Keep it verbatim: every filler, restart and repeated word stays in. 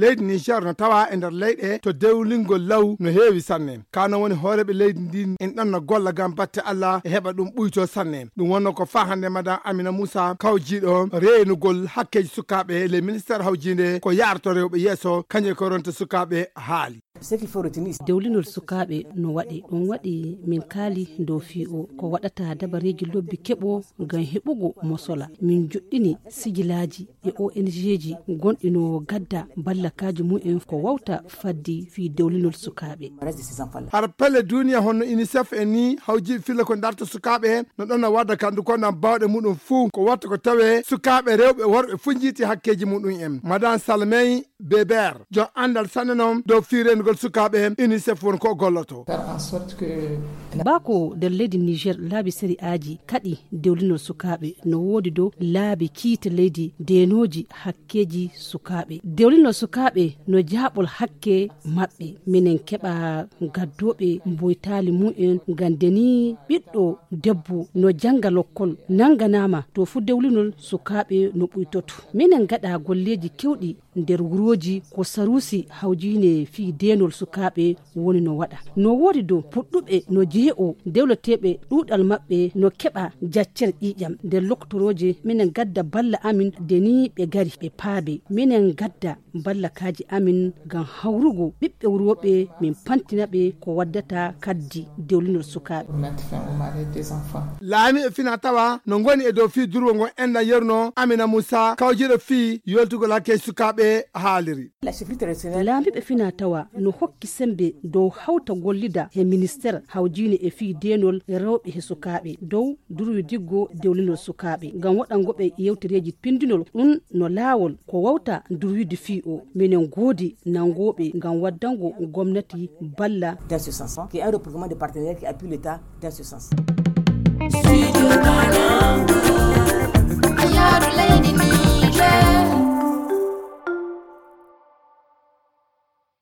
Leydi Niger no tawa e nder leyɗe to dewlingol law no heewi sanne. Ka non woni hooreeɓe leydi ndin en ɗon no golla ngam batte Allah e heɓa ɗum ɓuyto sanne. Ɗum wonno ko faa hannde Madame Amina Moussa kawjiiɗo reenugol hakkeeji sukaaɓe ley ministeer hawjiinde ko yaarto rewɓe yeeso, kañum e ko ronta sukaaɓe haali. Dewlinol sukaaɓe no waɗi, ɗum waɗi min kaali dow fii o ko waɗata dabareeji lobbi keɓo ngam heɓugo mosola. Min joɗɗini sijilaaji e O N G ji gonɗi no gadda ballakaaji mumen ko wawta faddi fii dewlinol sukaaɓe. Har pelle duniya honno UNICEF en ni hawjiiɓe filla ko darta sukaaɓe no ɗon no wadda kandu ko nan bawɗe muɗum fuu ko watta ko tawe sukaaɓe rewɓe worɓe fuu njiiti hakkeeji muɗum en. Madame Salmey Beber, jon anndal sanne noon dow fii reenugol sukaaɓe UNICEF won ko o golloto. Bako nder leydi Niger laabi sari'aaji kaɗi dewlinol sukaaɓe no woodi dow laabi kiite leydi deenooji hakkeeji sukaaɓe. Dewlinol sukaaɓe no jaaɓol hakke maɓɓe. Minen keɓa gaddooɓe mboytaali mumen ngam deni ɓiɗɗo debbo no jannga lokkol nannganaama to fu dewlinol sukaaɓe no ɓuytoto. Minen ngaɗa golleeji kewɗi nder wurooji ko saruusi hawjiine fii deenol sukaaɓe woni no waɗa. No woodi dow puɗɗuɓe no jee'o dewleteeɓe ɗuuɗal maɓɓe no keɓa jaccere ƴiiƴam nder loktorooje minen gadda balla amin de ni ɓe gari ɓe paabe. Minen gadda ballakaaji amin ngam hawrugo ɓiɓɓe wurooɓe min pantina ɓe ko waddata kaddi dewlinol sukaaɓe. Laamiiɓe fina tawa no ngoni e dow fii durwo ngon enɗan yeruno Amina Moussa kawjiiɗo fii yoltugol hakke sukaaɓe haaliri. Laamiiɓe fina tawa no hokki sembe dow hawta gollida he ministeer hawjiine e fii deenol rewɓe he sukaaɓe dow durwidiggo dewlinol sukaaɓe ngam waɗango ɓe yewtereeji pindinol ɗum no laawol ko wawta durwide fii o. Minen goodi nanngooɓe ngam waddango gomnati balla. Dans ce sens, qui est un regroupement de partenaires qui appuie l'État dans ce sens.